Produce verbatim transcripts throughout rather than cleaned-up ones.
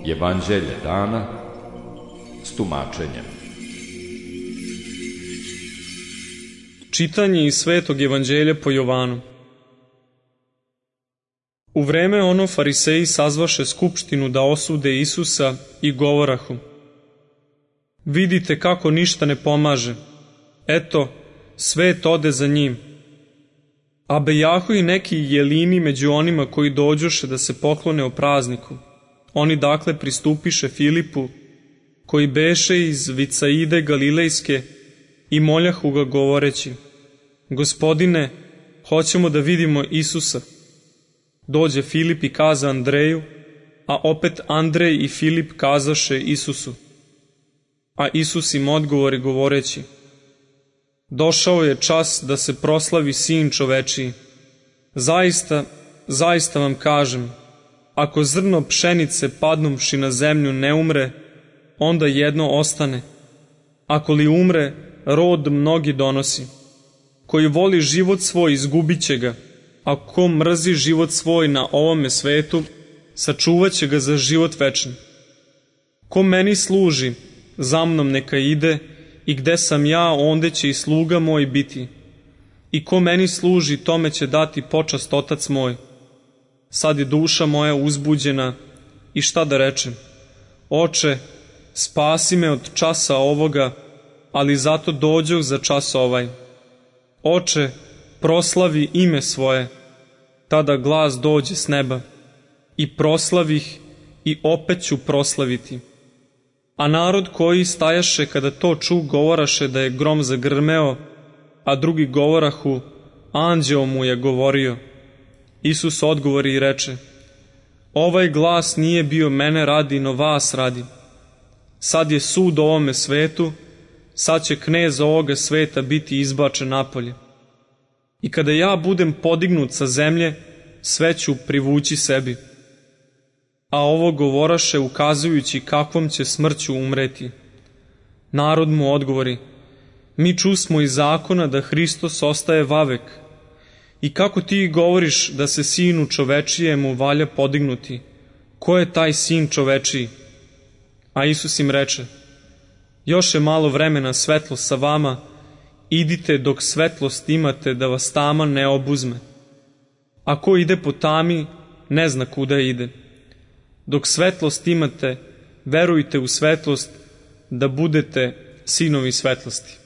Evanđelje dana s tumačenjem. Čitanje iz Svetog evanđelja po Jovanu. U vreme ono fariseji sazvaše skupštinu da osude Isusa i govorahu: vidite kako ništa ne pomaže, eto, svet ode za njim. A bejahu i neki jelini među onima koji dođoše da se poklone o prazniku. Oni dakle pristupiše Filipu, koji beše iz Vicaide Galilejske, i moljahu ga govoreći: Gospodine, hoćemo da vidimo Isusa. Dođe Filip i kaza Andreju, a opet Andrej i Filip kazaše Isusu. A Isus im odgovori govoreći: došao je čas da se proslavi Sin čovečiji. Zaista, zaista vam kažem, ako zrno pšenice padnuvši na zemlju ne umre, onda jedno ostane. Ako li umre, rod mnogi donosi. Koji voli život svoj, izgubit će ga, a ko mrzi život svoj na ovome svetu, sačuvat će ga za život večni. Ko meni služi, za mnom neka ide, i gde sam ja, onde će i sluga moj biti. I ko meni služi, tome će dati počast Otac moj. Sad je duša moja uzbuđena, i šta da rečem? Oče, spasi me od časa ovoga, ali zato dođoh za čas ovaj. Oče, proslavi ime svoje. Tada glas dođe s neba. I proslavih, i opet ću proslaviti. A narod koji stajaše kada to ču, govoraše da je grom zagrmeo, a drugi govorahu: anđeo mu je govorio. Isus odgovori i reče: ovaj glas nije bio mene radi, no vas radi. Sad je sud ovome svetu, sad će knez ovoga sveta biti izbačen napolje. I kada ja budem podignut sa zemlje, sve ću privući sebi. A ovo govoraše ukazujući kakvom će smrću umreti. Narod mu odgovori: mi čusmo iz zakona da Hristos ostaje vavek. I kako ti govoriš da se Sinu čovečijemu valja podignuti? Ko je taj Sin čovečiji? A Isus im reče: još je malo vremena svetlost sa vama, idite dok svetlost imate, da vas tama ne obuzme. A ko ide po tami, ne zna kuda ide. Dok svetlost imate, verujte u svetlost, da budete sinovi svetlosti.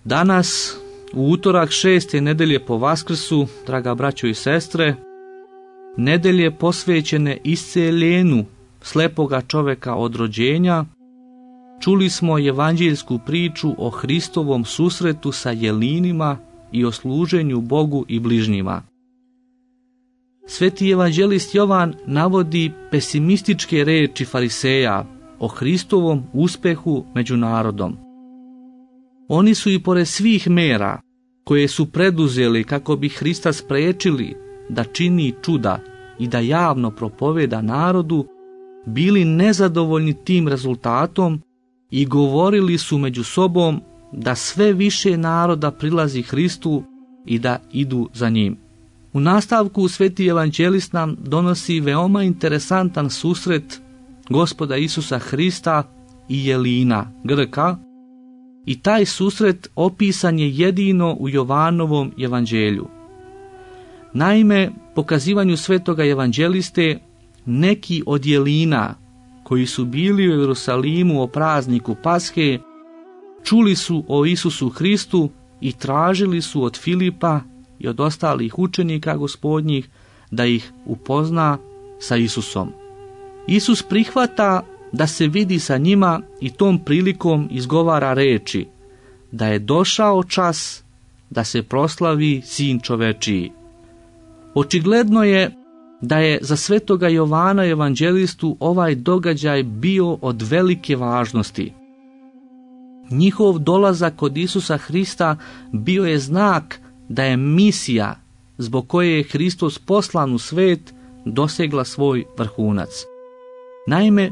Danas, u utorak šeste nedelje po Vaskrsu, draga braćo i sestre, nedelje posvećene isceljenju slepoga čoveka od rođenja, čuli smo evanđeljsku priču o Hristovom susretu sa jelinima i o služenju Bogu i bližnjima. Sveti evanđelist Jovan navodi pesimističke reči fariseja o Hristovom uspehu među narodom. Oni su i pored svih mera koje su preduzeli kako bi Hrista sprečili da čini čuda i da javno propoveda narodu, bili nezadovoljni tim rezultatom i govorili su među sobom da sve više naroda prilazi Hristu i da idu za njim. U nastavku sveti evanđelist nam donosi veoma interesantan susret Gospoda Isusa Hrista i jelina, Grka, i taj susret opisan je jedino u Jovanovom evanđelju. Naime, pokazivanju svetoga evanđeliste, neki od jelina koji su bili u Jerusalimu o prazniku Pashe, čuli su o Isusu Hristu i tražili su od Filipa i od ostalih učenika gospodnjih da ih upozna sa Isusom. Isus prihvata da se vidi sa njima i tom prilikom izgovara reči da je došao čas da se proslavi Sin čovečiji. Očigledno je da je za svetoga Jovana evanđelistu ovaj događaj bio od velike važnosti. Njihov dolazak kod Isusa Hrista bio je znak da je misija zbog koje je Hristos poslan u svet dosegla svoj vrhunac. Naime,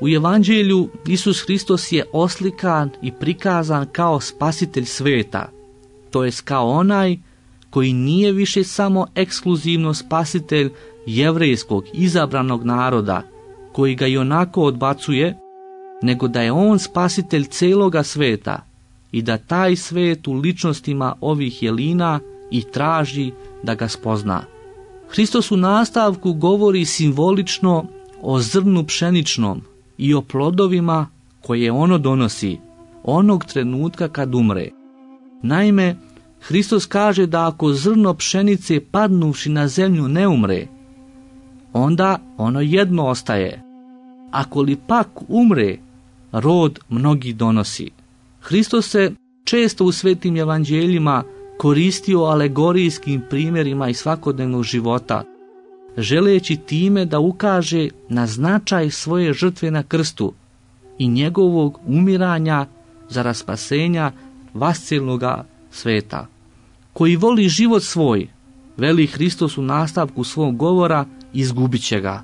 u Evanđelju Isus Hristos je oslikan i prikazan kao spasitelj sveta, to jest kao onaj koji nije više samo ekskluzivno spasitelj jevrejskog izabranog naroda, koji ga i onako odbacuje, nego da je on spasitelj celoga sveta i da taj svet u ličnostima ovih jelina i traži da ga spozna. Hristos u nastavku govori simbolično o zrnu pšeničnom i o plodovima koje ono donosi onog trenutka kad umre. Naime, Hristos kaže da ako zrno pšenice padnuvši na zemlju ne umre, onda ono jedno ostaje. Ako li pak umre, rod mnogi donosi. Hristos se često u svetim evanđeljima koristio alegorijskim primjerima iz svakodnevnog života, želeći time da ukaže na značaj svoje žrtve na krstu i njegovog umiranja za raspasenja vascelnoga sveta. Koji voli život svoj, veli Hristos u nastavku svog govora, izgubit će ga.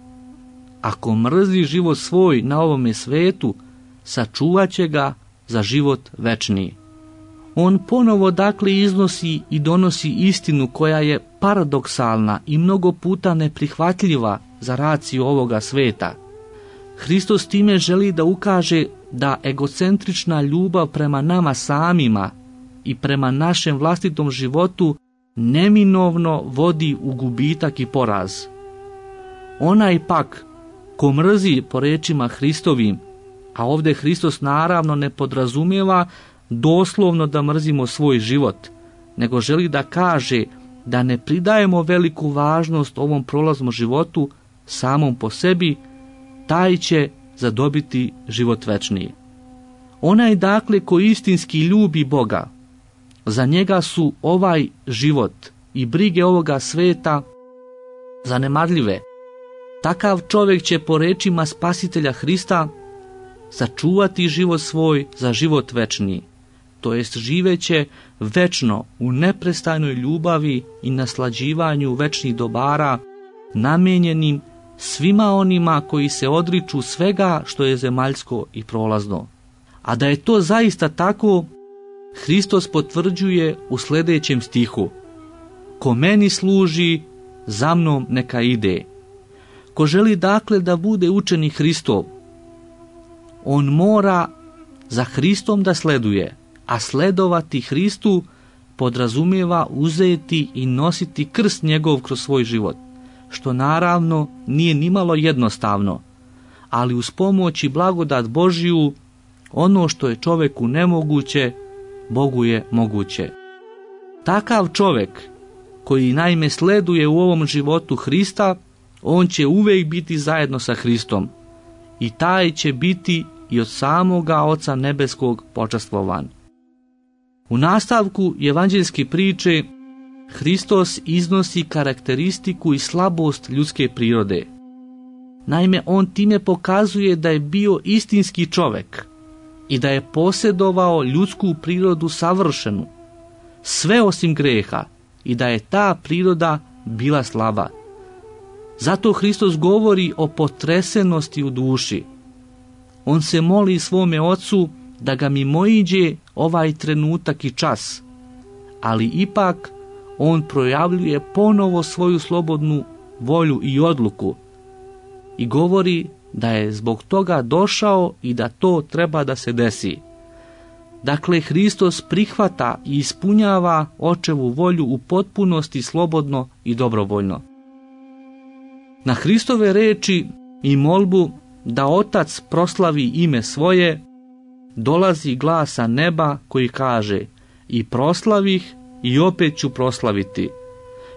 Ako mrzi život svoj na ovome svetu, sačuvat će ga za život večni. On ponovo dakle iznosi i donosi istinu koja je paradoksalna i mnogo puta neprihvatljiva za raciju ovoga sveta. Hristos time želi da ukaže da egocentrična ljubav prema nama samima i prema našem vlastitom životu neminovno vodi u gubitak i poraz. Onaj pak ko mrzi po rečima Hristovim, a ovdje Hristos naravno ne podrazumijeva doslovno da mrzimo svoj život, nego želi da kaže da ne pridajemo veliku važnost ovom prolaznom životu samom po sebi, taj će zadobiti život večni. Onaj dakle ko istinski ljubi Boga, za njega su ovaj život i brige ovoga sveta zanemarljive. Takav čovjek će po rečima Spasitelja Hrista sačuvati život svoj za život večni, to jest živeće večno u neprestajnoj ljubavi i naslađivanju večnih dobara namijenjenim svima onima koji se odriču svega što je zemaljsko i prolazno. A da je to zaista tako, Hristos potvrđuje u sljedećem stihu: ko meni služi, za mnom neka ide. Ko želi dakle da bude učenik Hristov, on mora za Hristom da sleduje, a sledovati Hristu podrazumijeva uzeti i nositi krst njegov kroz svoj život, što naravno nije nimalo jednostavno, ali uz pomoć i blagodat Božiju, ono što je čovjeku nemoguće, Bogu je moguće. Takav čovjek koji naime sleduje u ovom životu Hrista, on će uvijek biti zajedno sa Hristom i taj će biti i od samoga Oca nebeskog počastvovan. U nastavku evanđeljske priče Hristos iznosi karakteristiku i slabost ljudske prirode. Naime, on time pokazuje da je bio istinski čovjek i da je posjedovao ljudsku prirodu savršenu, sve osim greha, i da je ta priroda bila slaba. Zato Hristos govori o potresenosti u duši. On se moli svome Ocu da ga mimoiđe ovaj trenutak i čas, ali ipak on projavljuje ponovo svoju slobodnu volju i odluku i govori da je zbog toga došao i da to treba da se desi. Dakle, Hristos prihvata i ispunjava Očevu volju u potpunosti, slobodno i dobrovoljno. Na Hristove reči i molbu da Otac proslavi ime svoje, dolazi glas sa neba koji kaže: i proslavih i opet ću proslaviti,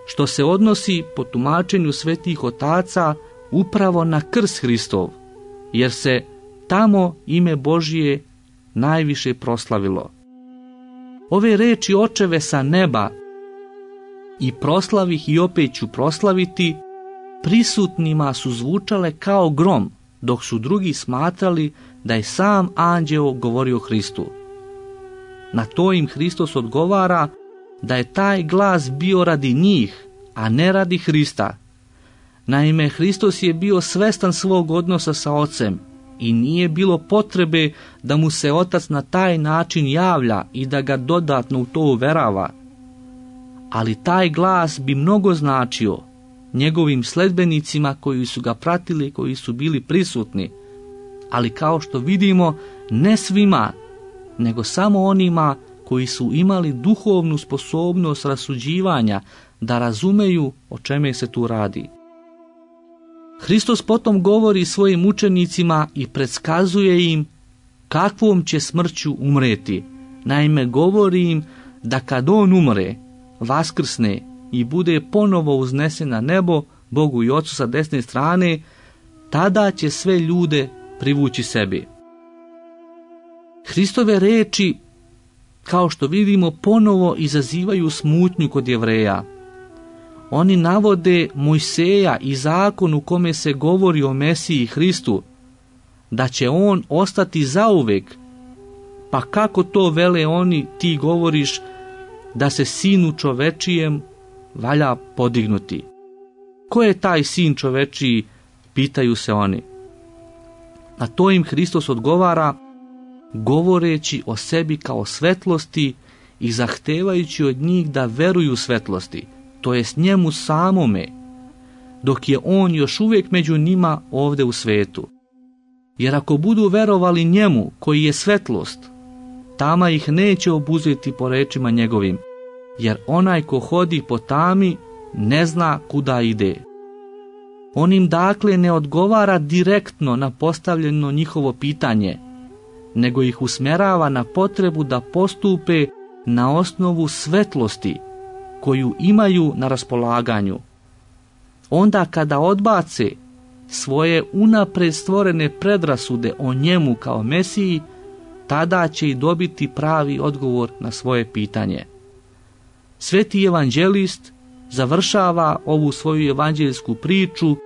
što se odnosi po tumačenju svetih otaca upravo na krst Hristov, jer se tamo ime Božije najviše proslavilo. Ove reči Očeve sa neba i proslavih i opet ću proslaviti prisutnima su zvučale kao grom, dok su drugi smatrali da je sam anđeo govorio Hristu. Na to im Hristos odgovara da je taj glas bio radi njih, a ne radi Hrista. Naime, Hristos je bio svestan svog odnosa sa Ocem i nije bilo potrebe da mu se Otac na taj način javlja i da ga dodatno u to uverava. Ali taj glas bi mnogo značio njegovim sledbenicima koji su ga pratili, koji su bili prisutni. Ali kao što vidimo, ne svima, nego samo onima koji su imali duhovnu sposobnost rasuđivanja da razumeju o čemu se tu radi. Hristos potom govori svojim učenicima i predskazuje im kakvom će smrću umreti. Naime, govori im da kad on umre, vaskrsne i bude ponovo uznesen na nebo, Bogu i Ocu sa desne strane, tada će sve ljude privući sebi. Hristove reči, kao što vidimo, ponovo izazivaju smutnju kod Jevreja. Oni navode Mojseja i zakon u kome se govori o Mesiji Hristu, da će on ostati zauvek. Pa kako to vele oni, ti govoriš, da se sinu čovečijem valja podignuti? Ko je taj sin čovečiji, pitaju se oni. Na to im Hristos odgovara, govoreći o sebi kao svetlosti i zahtevajući od njih da veruju svetlosti, to jest njemu samome, dok je on još uvijek među njima ovdje u svetu. Jer ako budu verovali njemu koji je svetlost, tama ih neće obuzeti po rečima njegovim, jer onaj ko hodi po tami ne zna kuda ide. On im dakle ne odgovara direktno na postavljeno njihovo pitanje, nego ih usmjerava na potrebu da postupe na osnovu svetlosti koju imaju na raspolaganju. Onda kada odbace svoje unapred stvorene predrasude o njemu kao Mesiji, tada će i dobiti pravi odgovor na svoje pitanje. Sveti evanđelist završava ovu svoju evanđeljsku priču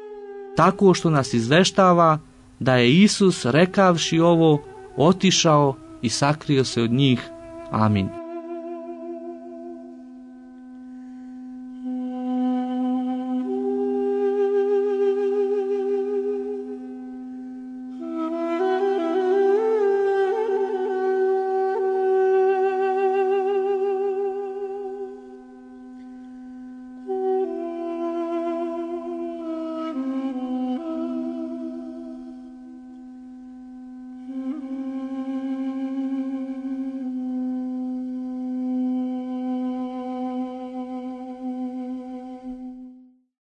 tako što nas izveštava da je Isus, rekavši ovo, otišao i sakrio se od njih. Amin.